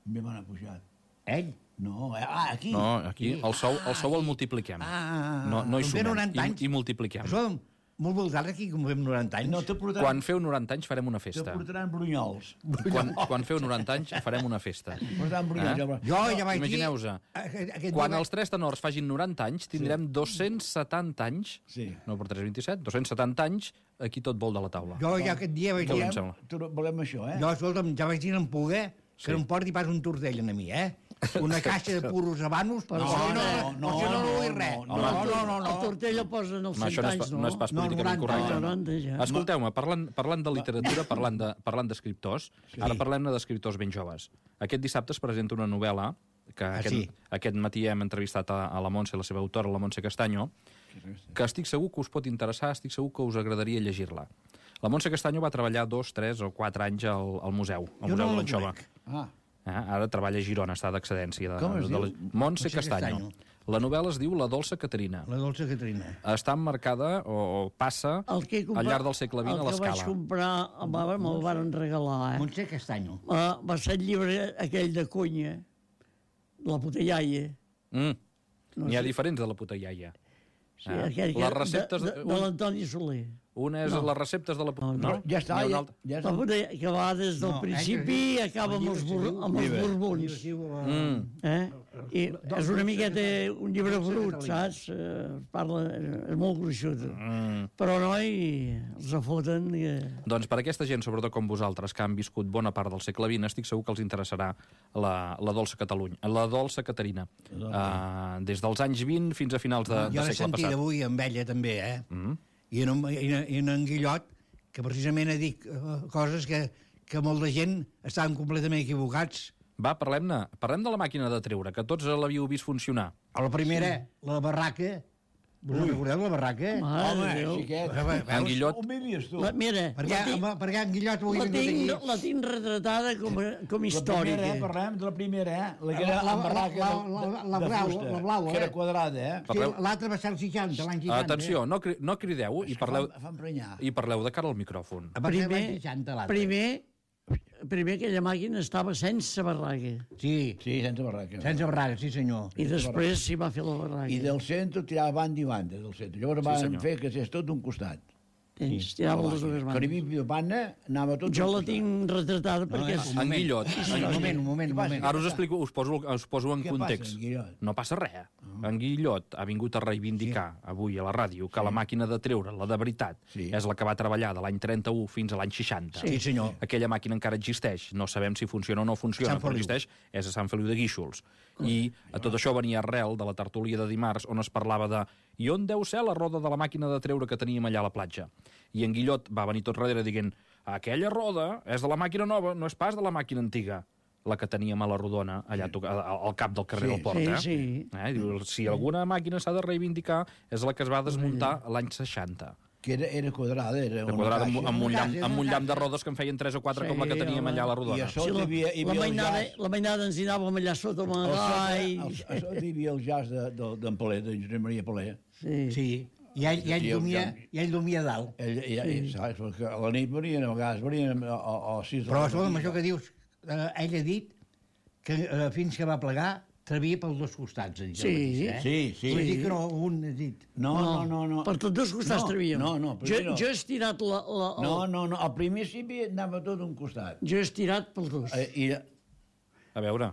Speaker 3: Me m'han pujat.
Speaker 2: Ell?
Speaker 3: No, ah, aquí.
Speaker 1: No, aquí el sou, el sou el multipliquem.
Speaker 2: Ah,
Speaker 1: no, no hi sumem, i, i multipliquem.
Speaker 2: Això, molt vosaltres aquí, com fem noranta anys.
Speaker 3: No, portaran...
Speaker 1: Quan feu noranta anys farem una festa.
Speaker 3: Te portaran brunyols.
Speaker 1: Quan, quan feu noranta anys farem una festa.
Speaker 3: Portaran brunyols.
Speaker 2: Eh? Jo ja vaig dir...
Speaker 1: Imagineu-vos, quan els tres tenors fagin noranta anys, tindrem sí. dos-cents setanta anys,
Speaker 3: sí.
Speaker 1: no per tres vint-i-set, dos-cents setanta anys, aquí tot vol de la taula.
Speaker 2: Jo ja aquest dia vaig dir...
Speaker 3: Volem això, eh?
Speaker 2: Jo, escolta'm, ja vaig dir en poder que sí. no em porti pas un tortell a mi, eh? una caixa de puros habanos...
Speaker 4: No,
Speaker 2: no, no, no, no vull res.
Speaker 3: No, no, no.
Speaker 4: El Tortella posa en els cent anys, no?
Speaker 1: No és pas políticament correcte.
Speaker 4: Ja.
Speaker 1: Escolteu-me, parlant, parlant de literatura, parlant de- parlant d'escriptors, ara parlem d'escriptors ben joves. Aquest dissabte es presenta una novel·la que
Speaker 2: Ah,
Speaker 1: aquest,
Speaker 2: sí.
Speaker 1: aquest matí hem entrevistat a, a la Montse, la seva autora, la Montse Castanyo, que estic segur que us pot interessar, estic segur que us agradaria llegir-la. La Montse Castanyo va treballar dos, tres o quatre anys al, al museu, al
Speaker 2: Jo
Speaker 1: Museu
Speaker 2: no
Speaker 1: de
Speaker 2: la
Speaker 1: l'Anxova.
Speaker 2: conec.
Speaker 3: Ah,
Speaker 1: Eh? Ara treballa a Girona, està d'excedència. De,
Speaker 3: Com es
Speaker 1: de,
Speaker 3: diu?
Speaker 1: de, Montse
Speaker 2: Montse
Speaker 1: Castanyo.
Speaker 2: Castanyo.
Speaker 1: La novel·la es diu La dolça Caterina.
Speaker 2: La dolça Caterina.
Speaker 1: Està emmarcada o, o passa
Speaker 4: El que he comprat,
Speaker 1: al llarg del segle vint a
Speaker 4: El que vaig
Speaker 1: l'Escala.
Speaker 4: comprar, me'l me van regalar, eh?
Speaker 2: Montse Castanyo.
Speaker 4: Uh, va ser el llibre aquell de Cunya, la puta iaia.
Speaker 1: Mm.
Speaker 4: No
Speaker 1: N'hi ha
Speaker 4: sé.
Speaker 1: diferents de la puta iaia.
Speaker 4: Sí,
Speaker 1: Ah.
Speaker 4: aquell que,
Speaker 1: Les receptes
Speaker 4: de,
Speaker 1: de-
Speaker 4: de, de l'Antoni Soler.
Speaker 1: Una és
Speaker 4: No.
Speaker 1: les receptes de la puta...
Speaker 4: No,
Speaker 1: No?
Speaker 3: ja està,
Speaker 1: N'hi ha una
Speaker 3: ja,
Speaker 1: altra.
Speaker 3: ja
Speaker 4: La
Speaker 3: està.
Speaker 4: puta iaia, que va des del
Speaker 2: No,
Speaker 4: principi
Speaker 2: eh,
Speaker 4: i
Speaker 2: que-
Speaker 4: acaba amb
Speaker 2: el
Speaker 4: els,
Speaker 2: llibre
Speaker 4: bur,
Speaker 2: es diu-
Speaker 4: amb els
Speaker 3: Llibre.
Speaker 4: borbons.
Speaker 1: Mm.
Speaker 4: Eh? I és una miqueta un llibre brut, saps? Eh, parla, és molt gruixut.
Speaker 1: Mm.
Speaker 4: Però, noi, els afoten... Que...
Speaker 1: Doncs per aquesta gent, sobretot com vosaltres, que han viscut bona part del segle vint, estic segur que els interessarà la, la dolça Catalunya, la dolça Caterina. Uh, des dels anys vint fins a finals de,
Speaker 2: Jo
Speaker 1: de
Speaker 2: l'he
Speaker 1: segle
Speaker 2: sentit
Speaker 1: passat.
Speaker 2: avui amb ella també, eh?
Speaker 1: Mm.
Speaker 2: I en, un- i en, i en, en Guillot, que precisament ha dit eh, coses que, que molta gent estaven completament equivocats.
Speaker 1: Va, parlem-ne. Parlem de la màquina de treure, que tots l'havíeu vist funcionar.
Speaker 2: A la primera, la barraca. Us en recordeu, la barraca?
Speaker 4: Mare
Speaker 3: Home,
Speaker 4: de Déu.
Speaker 3: xiquet.
Speaker 1: En Guillot...
Speaker 3: On vivies tu?
Speaker 4: La, mira,
Speaker 2: Perquè,
Speaker 4: la tinc,
Speaker 2: home, perquè en Guillot avui
Speaker 4: la
Speaker 2: ha vingut
Speaker 4: tinc,
Speaker 2: aquí.
Speaker 4: la tinc retratada com, a- com
Speaker 3: La
Speaker 4: històrica.
Speaker 3: primera, eh? Parlem de la primera, eh? La que era
Speaker 2: La- la-
Speaker 3: amb barraca
Speaker 2: la-
Speaker 3: de,
Speaker 2: la-
Speaker 3: de,
Speaker 2: la
Speaker 3: de
Speaker 2: blau,
Speaker 3: fusta,
Speaker 2: la blau,
Speaker 3: que era
Speaker 2: eh?
Speaker 3: quadrada, eh?
Speaker 2: Sí,
Speaker 1: Parleu-
Speaker 2: l'altre va ser el seixanta, l'any seixanta.
Speaker 1: Atenció, no, cri no crideu i parleu,
Speaker 3: Fa, fa emprenyar.
Speaker 1: i parleu de cara al micròfon.
Speaker 2: Va ser l'any
Speaker 4: Primer,
Speaker 2: seixanta, l'altre.
Speaker 4: primer, primer aquella màquina estava sense barraca.
Speaker 2: Sí,
Speaker 3: Sí, sense barraca.
Speaker 2: sense barraca, sí senyor.
Speaker 4: I després s'hi va fer la barraca.
Speaker 3: I del centre tirava banda i banda, del centre. Llavors
Speaker 1: Sí,
Speaker 3: van
Speaker 1: senyor.
Speaker 3: fer que és tot d'un costat.
Speaker 4: Ells tiraven les dues
Speaker 3: Que
Speaker 4: mans.
Speaker 3: arribi de banda, anava tot
Speaker 4: Jo
Speaker 3: d'un
Speaker 4: la
Speaker 3: costat.
Speaker 4: tinc retratada
Speaker 2: No,
Speaker 4: perquè...
Speaker 2: eh,
Speaker 4: és-
Speaker 2: un
Speaker 1: En
Speaker 2: moment.
Speaker 1: Guillot.
Speaker 2: Un moment, un moment, un
Speaker 3: Què passa?
Speaker 2: moment.
Speaker 1: Ara us explico, us poso, us poso en
Speaker 3: Què
Speaker 1: context.
Speaker 3: passa, en Guillot?
Speaker 1: No passa res. En Guillot ha vingut a reivindicar avui a la ràdio que la màquina de treure, la de veritat,
Speaker 3: Sí.
Speaker 1: és la que va treballar de l'any trenta-u fins a l'any seixanta.
Speaker 2: Sí, senyor.
Speaker 1: Aquella màquina encara existeix. No sabem si funciona o no funciona,
Speaker 2: Sant
Speaker 1: però
Speaker 2: Feliu.
Speaker 1: existeix. És a Sant Feliu de Guíxols. I a tot això venia arrel de la tertúlia de dimarts on es parlava de i on deu ser la roda de la màquina de treure que teníem allà a la platja. I en Guillot va venir tot darrere dient aquella roda és de la màquina nova, no és pas de la màquina antiga, la que teníem a la Rodona, allà sí. al cap del carrer
Speaker 3: Sí,
Speaker 1: del Port.
Speaker 4: sí,
Speaker 1: eh?
Speaker 4: sí.
Speaker 1: Eh? Diu, si alguna màquina s'ha de reivindicar és la que es va desmuntar l'any seixanta.
Speaker 3: Que era, era quadrada, era
Speaker 1: De
Speaker 3: una
Speaker 1: quadrada amb,
Speaker 3: caixa.
Speaker 1: amb, un
Speaker 2: Una
Speaker 1: llamp,
Speaker 2: caixa,
Speaker 1: amb un
Speaker 2: una
Speaker 1: llamp de
Speaker 2: caixa.
Speaker 1: rodes que en feien tres o quatre
Speaker 4: Sí,
Speaker 1: com la que teníem
Speaker 4: home.
Speaker 1: allà a la
Speaker 3: I
Speaker 1: Rodona.
Speaker 3: a
Speaker 4: Sí,
Speaker 3: sota hi
Speaker 4: la,
Speaker 3: havia, hi
Speaker 4: la,
Speaker 3: havia el
Speaker 4: mainada,
Speaker 3: jazz.
Speaker 4: la mainada ens hi anàvem allà sota amb el
Speaker 3: Al
Speaker 4: gai.
Speaker 3: sota, al, a sota hi havia el jazz de- de- d'en Palé, d'en Josep Maria Palé.
Speaker 4: Sí.
Speaker 2: Sí. I ell, i ell,
Speaker 3: Sí, el
Speaker 2: dormia,
Speaker 3: Jan.
Speaker 2: i ell dormia a dalt.
Speaker 3: Ell, ell, ell, saps? Perquè a la nit venien, a vegades venien a, a, a sis de
Speaker 2: Però,
Speaker 3: la
Speaker 2: escolta'm,
Speaker 3: matí.
Speaker 2: això que dius, eh, ell ha dit que eh, fins que va plegar travia pels dos costats. Ha dit,
Speaker 4: Sí.
Speaker 2: el mateix, eh?
Speaker 3: Sí, sí.
Speaker 2: Vull dir que no, un ha dit...
Speaker 3: No, no, no, no.
Speaker 4: Per tots dos costats
Speaker 3: No,
Speaker 4: travíem.
Speaker 3: no, no,
Speaker 4: jo,
Speaker 3: primer no.
Speaker 4: jo he estirat la, la, el,
Speaker 3: No, no, no. Al principi anava tot d'un costat.
Speaker 4: Jo he estirat pels dos.
Speaker 3: Eh, I,
Speaker 1: A veure...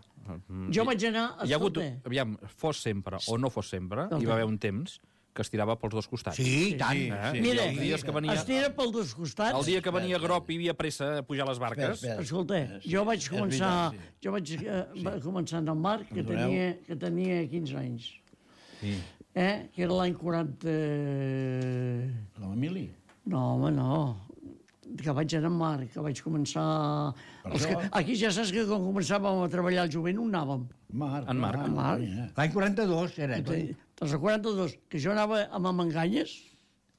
Speaker 1: mm,
Speaker 4: Jo vaig anar...
Speaker 1: Hi ha hagut,
Speaker 4: Escolta,
Speaker 1: aviam, fos sempre o no fos sempre, hi va haver un temps que es tirava pels dos costats.
Speaker 2: Sí, i tant.
Speaker 3: Sí,
Speaker 1: Eh?
Speaker 3: sí.
Speaker 4: mira,
Speaker 1: I els dies que venia,
Speaker 4: estira pels dos costats.
Speaker 1: el dia que venia Grop hi havia pressa a pujar les
Speaker 3: espera,
Speaker 1: barques.
Speaker 3: espera.
Speaker 4: Escolta,
Speaker 3: Eh, sí,
Speaker 4: jo vaig
Speaker 3: és
Speaker 4: començar,
Speaker 3: veritat,
Speaker 4: jo vaig eh, va començar en el Marc, que
Speaker 3: Perdoneu.
Speaker 4: tenia, que tenia quinze anys,
Speaker 1: Sí.
Speaker 4: eh? que era l'any quaranta...
Speaker 3: La Mili.
Speaker 4: No, home, no. Que vaig anar en Marc, que vaig començar...
Speaker 3: Per
Speaker 4: Els que,
Speaker 3: això-
Speaker 4: aquí ja saps que quan començàvem a treballar al jovent on anàvem.
Speaker 3: Marc.
Speaker 1: En Marc.
Speaker 4: En Marc.
Speaker 3: eh.
Speaker 2: L'any quaranta-dos era.
Speaker 4: Doncs el quaranta-dos, que jo anava amb Manganyes,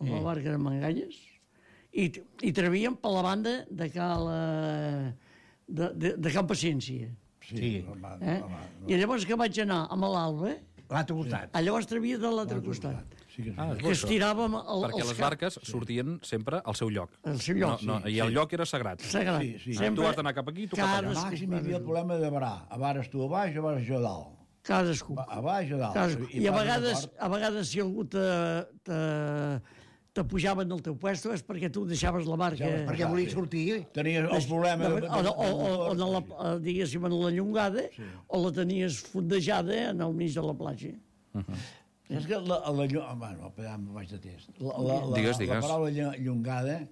Speaker 4: amb la barca de Manganyes, i, i travíem per la banda de Cal, eh, de, de, de Can Paciència.
Speaker 2: Sí.
Speaker 3: home,
Speaker 4: Eh?
Speaker 3: home,
Speaker 4: I llavors que vaig anar amb l'Alba,
Speaker 2: L'altre costat.
Speaker 4: a llavors travia de l'altre costat.
Speaker 3: Sí que sí.
Speaker 1: Ah, és bo,
Speaker 4: Que
Speaker 1: això.
Speaker 4: estiràvem el,
Speaker 1: Perquè
Speaker 4: els
Speaker 1: les
Speaker 4: cap-
Speaker 1: barques sortien sempre al seu lloc.
Speaker 4: al seu lloc.
Speaker 1: No, no, I el lloc era sagrat.
Speaker 4: Sagrat.
Speaker 3: Sí, sí.
Speaker 1: Tu has d'anar cap aquí, tu cap allà.
Speaker 3: A màxim hi havia el problema de varar. A vares tu a baix, a vares jo a dalt.
Speaker 4: Cadascú.
Speaker 3: A baix o a dalt.
Speaker 4: Cadascú. I a
Speaker 3: pas
Speaker 4: vegades,
Speaker 3: d'acord.
Speaker 4: a vegades si algú te, te, te pujaven del teu puesto és perquè tu deixaves la barca...
Speaker 3: Deixaves
Speaker 2: Perquè volia sortir.
Speaker 3: Tenies el problema...
Speaker 4: de,
Speaker 3: de-
Speaker 4: o,
Speaker 3: de-
Speaker 4: o, o, o,
Speaker 3: de-
Speaker 4: en la, eh, diguéssim, en la llongada, o la tenies fondejada en el mig de la platja.
Speaker 3: És que la, la, llo- bueno, ja em vaig de test. La, la, la,
Speaker 1: Digues, digues.
Speaker 3: la paraula llo- llongada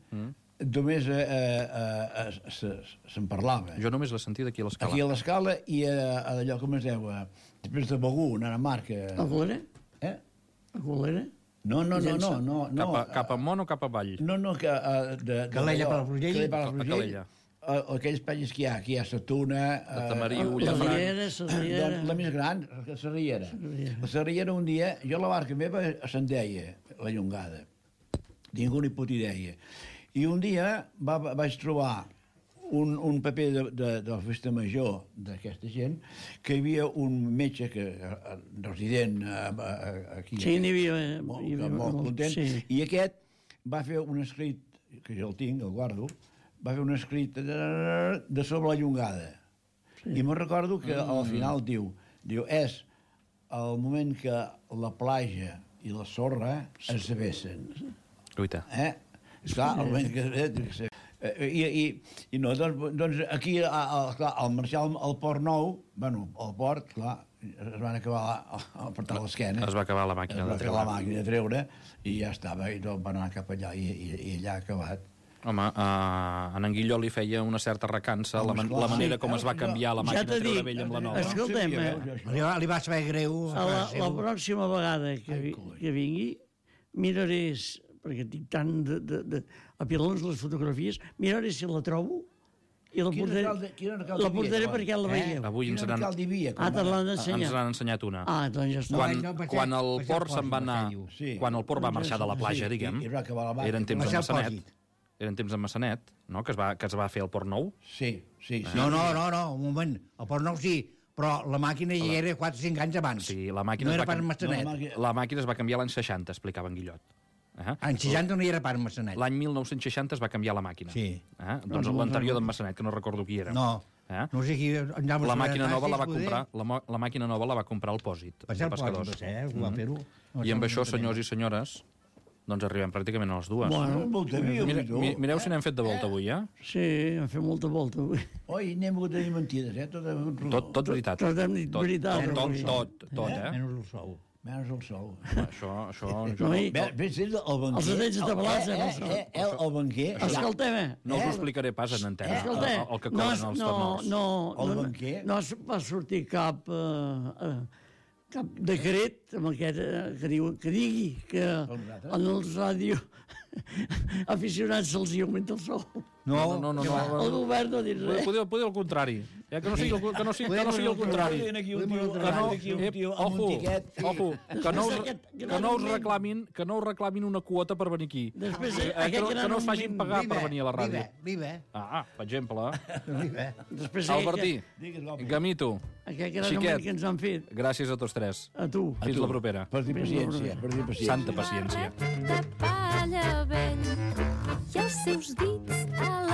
Speaker 3: només eh, eh, eh, se'n parlava.
Speaker 1: Jo només l'he sentit aquí a l'Escala.
Speaker 3: Aquí a l'Escala i a, a allò, com es diu, a, després de Begú, anant a Marca.
Speaker 4: A Colera?
Speaker 3: Eh?
Speaker 4: A Colera?
Speaker 3: No, no, no, no. no, no
Speaker 1: cap, a, cap amunt o cap avall?
Speaker 3: No, no, que... Uh, de, de,
Speaker 2: Calella per Palafrugell?
Speaker 3: Calella per Palafrugell. Uh, aquells panyes que hi ha, aquí hi ha la Tuna...
Speaker 1: La Tamariu,
Speaker 3: uh,
Speaker 4: La
Speaker 1: Llafranc.
Speaker 4: Riera, la Riera...
Speaker 3: Doncs la més gran, la Sarriera. La Sarriera un dia, jo la barca meva se'n deia, la Llongada. Ningú ni puta idea. I un dia va, vaig trobar un, un paper de, de, de la festa major d'aquesta gent, que hi havia un metge que, resident aquí,
Speaker 4: Sí, n'hi havia...
Speaker 3: molt,
Speaker 4: hi havia
Speaker 3: molt content,
Speaker 4: sí.
Speaker 3: i aquest va fer un escrit, que jo el tinc, el guardo, va fer un escrit de, de sobre la Llongada. Sí. I me'n recordo que al final diu, diu, és el moment que la platja i la sorra es vessen.
Speaker 1: Guaita.
Speaker 3: Eh? Esclar, el moment que... Eh, I, i, i no, doncs, doncs aquí, a, a, clar, al marxar al, al Port Nou, bueno, al port, clar, es van acabar a, a apretar l'esquena.
Speaker 1: Es va acabar la màquina de
Speaker 3: treure. Es va
Speaker 1: treure.
Speaker 3: acabar la màquina de treure i ja estava, i tot va anar cap allà, i, i, i allà ha acabat.
Speaker 1: Home, uh, en Guilló li feia una certa recança la, man
Speaker 3: Home,
Speaker 1: la manera
Speaker 3: sí,
Speaker 1: com es va canviar la
Speaker 4: ja
Speaker 1: màquina
Speaker 4: t'he
Speaker 1: de treure
Speaker 4: dit,
Speaker 1: vella amb la nova.
Speaker 4: escolta'm,
Speaker 3: No
Speaker 4: eh,
Speaker 3: sabia, veus,
Speaker 2: Li va, li va saber greu.
Speaker 4: a la, la pròxima vegada que, vi, que vingui, miraré, perquè tinc tant de, de, de apilons les fotografies, miraré si la trobo i la
Speaker 3: Quin
Speaker 4: portaré,
Speaker 3: alcalde- quin alcalde
Speaker 4: la portaré
Speaker 3: hi havia,
Speaker 4: perquè la
Speaker 3: eh?
Speaker 4: veieu.
Speaker 1: Avui ens
Speaker 3: Quin
Speaker 1: n'han
Speaker 3: alcalde hi havia?
Speaker 4: Ah, te l'han
Speaker 1: ens
Speaker 4: ensenyat.
Speaker 1: n'han ensenyat una.
Speaker 4: Ah, doncs ja està.
Speaker 1: Quan,
Speaker 2: no, Passeig-
Speaker 1: quan el
Speaker 2: Passeig
Speaker 1: port se'n va
Speaker 2: Pòsit,
Speaker 1: anar,
Speaker 2: diu.
Speaker 3: Sí.
Speaker 1: quan el port va marxar de la platja,
Speaker 3: Sí,
Speaker 1: diguem,
Speaker 3: i- i va acabar la barca.
Speaker 1: eren temps de
Speaker 2: Passeig
Speaker 1: Massanet,
Speaker 2: Pòsit.
Speaker 1: eren temps de Massanet, no?, que es va, que es va fer el Port Nou.
Speaker 3: Sí, sí, sí.
Speaker 2: No, no, no, no, un moment. El Port Nou sí, però la màquina hi era quatre o cinc anys abans.
Speaker 1: Sí, la màquina
Speaker 2: no
Speaker 1: es
Speaker 2: era
Speaker 1: va
Speaker 2: pas
Speaker 1: canvi-
Speaker 2: Massanet.
Speaker 3: No, la màquina-
Speaker 1: La màquina es va canviar l'any seixanta, explicava en Guillot. Eh?
Speaker 2: En seixanta no hi era pas Massanet.
Speaker 1: L'any mil nou-cents seixanta es va canviar la màquina.
Speaker 2: Sí.
Speaker 1: Eh? Doncs l'anterior d'en Massanet, que no recordo qui era.
Speaker 2: No,
Speaker 1: Eh?
Speaker 2: no sé qui...
Speaker 1: La màquina nova la va comprar, la, mo- la màquina nova la va comprar el Pòsit,
Speaker 2: Va
Speaker 1: de
Speaker 2: ser el Pòsit,
Speaker 1: pescadors.
Speaker 2: va ser, eh, que va fer-ho. No,
Speaker 1: I amb
Speaker 2: no,
Speaker 1: això,
Speaker 2: no
Speaker 1: senyors i senyores, doncs arribem pràcticament a les dues.
Speaker 4: Bueno,
Speaker 3: Molta via,
Speaker 1: Mira,
Speaker 3: tu.
Speaker 1: mi, mireu si n'hem fet de volta avui, eh?
Speaker 4: sí, hem fet molta volta avui.
Speaker 3: Oi, n'hem hagut de dir mentides, eh? Tot,
Speaker 1: Tot, tot veritat.
Speaker 4: Tot hem dit
Speaker 1: Tot,
Speaker 4: veritat,
Speaker 1: Tot, tot,
Speaker 4: avui.
Speaker 1: tot, tot, eh?
Speaker 2: Menys el sou.
Speaker 3: Menys el sol.
Speaker 1: Això, això... Jo
Speaker 4: No,
Speaker 1: no,
Speaker 4: i-
Speaker 3: Bé, bé, sí, el banquer...
Speaker 4: Els detalls de tabalats,
Speaker 3: eh,
Speaker 4: eh,
Speaker 3: eh, eh, eh, el banquer...
Speaker 4: Escolteu-me.
Speaker 1: no us ho explicaré pas en antena, el,
Speaker 4: Escolta,
Speaker 1: el que
Speaker 4: no,
Speaker 1: cobren
Speaker 4: es-
Speaker 1: els
Speaker 4: no,
Speaker 1: tenors.
Speaker 4: no,
Speaker 3: El
Speaker 4: no,
Speaker 3: banquer?
Speaker 4: no es va sortir cap, eh, eh, cap decret amb aquest, eh, que, diu, que digui que
Speaker 3: nosaltres?
Speaker 4: en els ràdio aficionats se'ls hi augmenta el sou.
Speaker 1: No, no, no.
Speaker 2: que va.
Speaker 1: no,
Speaker 4: El govern no ha dit
Speaker 1: Poder,
Speaker 4: res.
Speaker 1: poder, poder el contrari. Eh, que no sigui el, que no sigui, que no sigui el contrari.
Speaker 3: Aquí un
Speaker 2: Podem
Speaker 3: tio,
Speaker 2: anar
Speaker 1: Que no,
Speaker 3: aquí un
Speaker 1: ep,
Speaker 3: tio amb
Speaker 1: ojo,
Speaker 3: un tiquet.
Speaker 1: ojo, que no, us,
Speaker 4: Aquest
Speaker 1: que
Speaker 4: gran
Speaker 1: no us
Speaker 4: augment.
Speaker 1: reclamin, que no us reclamin una quota per venir aquí.
Speaker 4: Després,
Speaker 1: Eh, que,
Speaker 4: aquest
Speaker 1: no, que
Speaker 4: gran
Speaker 1: no us facin
Speaker 4: augment-
Speaker 1: pagar per venir a la ràdio.
Speaker 2: Viva,
Speaker 1: Ah, per exemple.
Speaker 2: viva.
Speaker 4: Després
Speaker 1: Albertí,
Speaker 3: Digues, home.
Speaker 1: Gamito,
Speaker 4: Aquest gran
Speaker 1: Xiquet.
Speaker 4: augment que ens han fet,
Speaker 1: gràcies a tots tres.
Speaker 4: a tu.
Speaker 1: Fins la propera.
Speaker 3: Per dir paciència, per dir paciència.
Speaker 1: Santa paciència.
Speaker 5: de palla vell i els seus dits a